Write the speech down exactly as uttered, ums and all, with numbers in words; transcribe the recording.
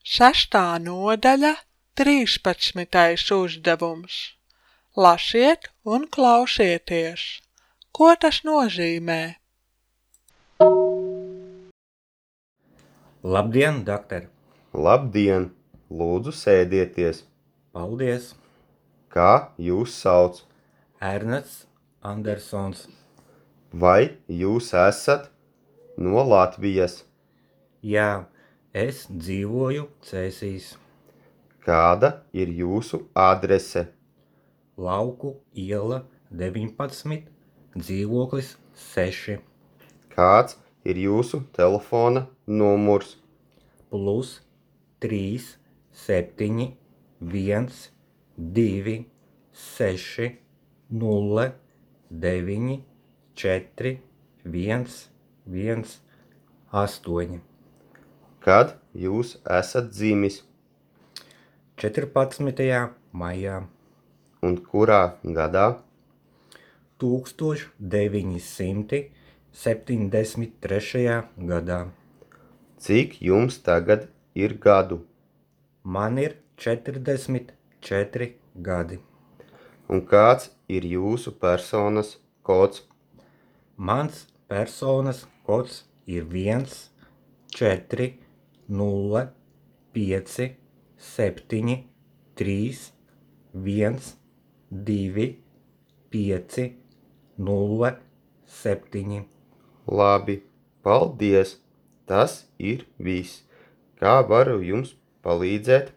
Sestā nodaļa, trīspadsmitais uzdevums. Lasiet un klausieties. Ko tas nozīmē? Labdien, doktor! Labdien! Lūdzu, sēdieties! Paldies! Kā jūs sauc? Ernests Andersons. Vai jūs esat no Latvijas? Jā, es dzīvoju Cēsīs. Kāda ir jūsu adrese? Lauku iela deviņpadsmit, dzīvoklis seši. Kāds ir jūsu telefona numurs? Plus trīs, septiņi, viens, divi, seši, nulle, deviņi, četri, viens, viens, astoņi. Kad jūs esat dzimis? četrpadsmitajā maijā. Un kurā gadā? tūkstoš deviņi simti septiņdesmit trešajā gadā. Cik jums tagad ir gadu? Man ir četrdesmit četri gadi. Un kāds ir jūsu personas kods? Mans personas kods ir viens, četri, nulle, pieci, septiņi, trīs, viens, divi, pieci, nulle, septiņi. Labi, paldies! Tas ir viss. Kā varu jums palīdzēt?